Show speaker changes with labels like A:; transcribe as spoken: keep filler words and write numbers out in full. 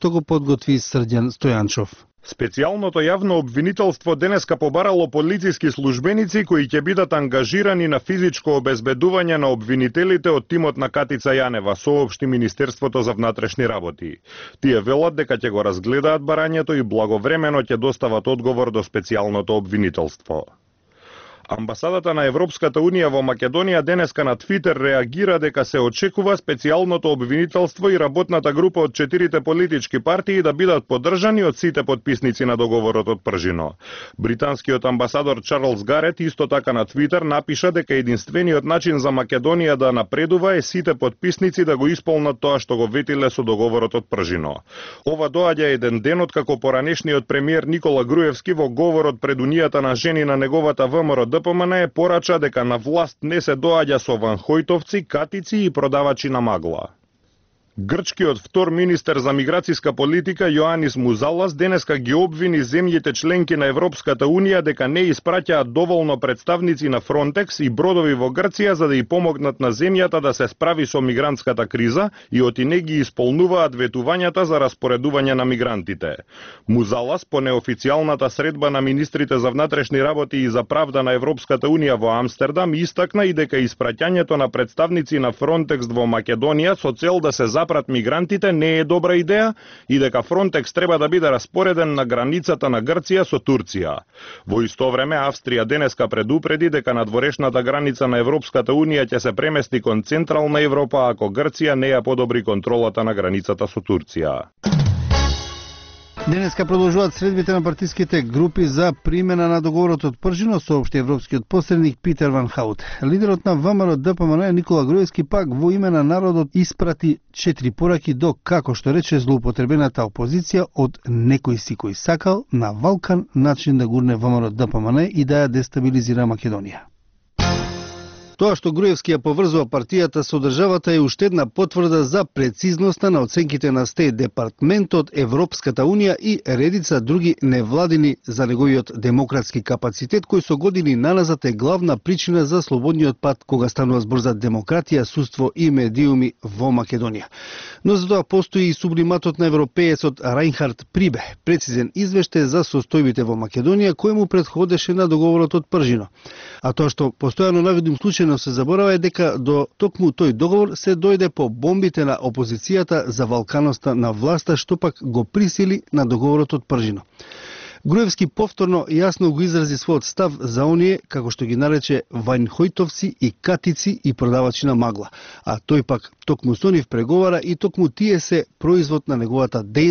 A: што го подготви Срđan Стојанчов.
B: Специјалното јавно обвинителство денеска побарало полициски службеници кои ќе бидат ангажирани на физичко обезбедување на обвинителите од тимот на Катица Јанева, соопшти Министерството за внатрешни работи. Тие велат дека ќе го разгледаат барањето и благовремено ќе достават одговор до специјалното обвинителство. Амбасадата на Европската Унија во Македонија денеска на Твитер реагира дека се очекува специјалното обвинителство и работната група од четирите политички партии да бидат поддржани од сите потписници на договорот од Пржино. Британскиот амбасадор Чарлс Гарет исто така на Твитер напиша дека единствениот начин за Македонија да напредува е сите потписници да го исполнат тоа што го ветиле со договорот од Пржино. Ова доаѓа еден ден откако поранешниот премиер Никола Груевски во говорот пред Унијата на жени на неговата ВМРО ДПМН е порача дека на власт не се доаѓа со ванхојтовци, катици и продавачи на магла. Грчкиот втор министер за миграцијска политика Јоанис Музалас денеска ги обвини земјите членки на Европската Унија дека не испраќаат доволно представници на Фронтекс и бродови во Грција за да и помогнат на земјата да се справи со мигрантската криза и оти не ги исполнуваат ветувањата за распоредување на мигрантите. Музалас по неофицијалната средба на министрите за внатрешни работи и за правда на Европската Унија во Амстердам истакна и дека испраќањето на представници на Фронтекс во Македонија со цел да се запрат мигрантите не е добра идеја и дека Фронтекс треба да биде распореден на границата на Грција со Турција. Во исто време Австрија денеска предупреди дека надворешната граница на Европската Унија ќе се премести кон Централна Европа ако Грција не ја подобри контролата на границата со Турција.
A: Денеска продолжуваат средбите на партиските групи за примена на договорот од Пржино, соопшти европскиот посредник Питер Ван Хаут. Лидерот на ВМРО ДПМН Никола Груевски пак во име на народот испрати четири пораки до, како што рече, злоупотребената опозиција од некој си кој сакал на валкан начин да гурне ВМРО ДПМН и да ја дестабилизира Македонија. Тоа што Груевски ја поврзува партијата со државата е уште една потврда за прецизноста на оценките на Стејт Департментот, Европската Унија и редица други невладини за неговиот демократски капацитет, кој со години наназад е главна причина за слободниот пат кога станува збор за демократија, судство и медиуми во Македонија. Но за тоа постои и сублиматот на европеецот Рајнхард Прибе, прецизен извештај за состојбите во Македонија кој му претходеше на договорот од Пржино. А тоа што постојано наведум случајно се заборава е дека до токму тој договор се дојде по бомбите на опозицијата за валканоста на власта, што пак го присили на договорот од Пржино. Груевски повторно јасно го изрази својот став за оние, како што ги нарече, вајнхојтовци и катици и продавачи на магла. А тој пак токму со нив преговара и токму тие се производ на неговата дејност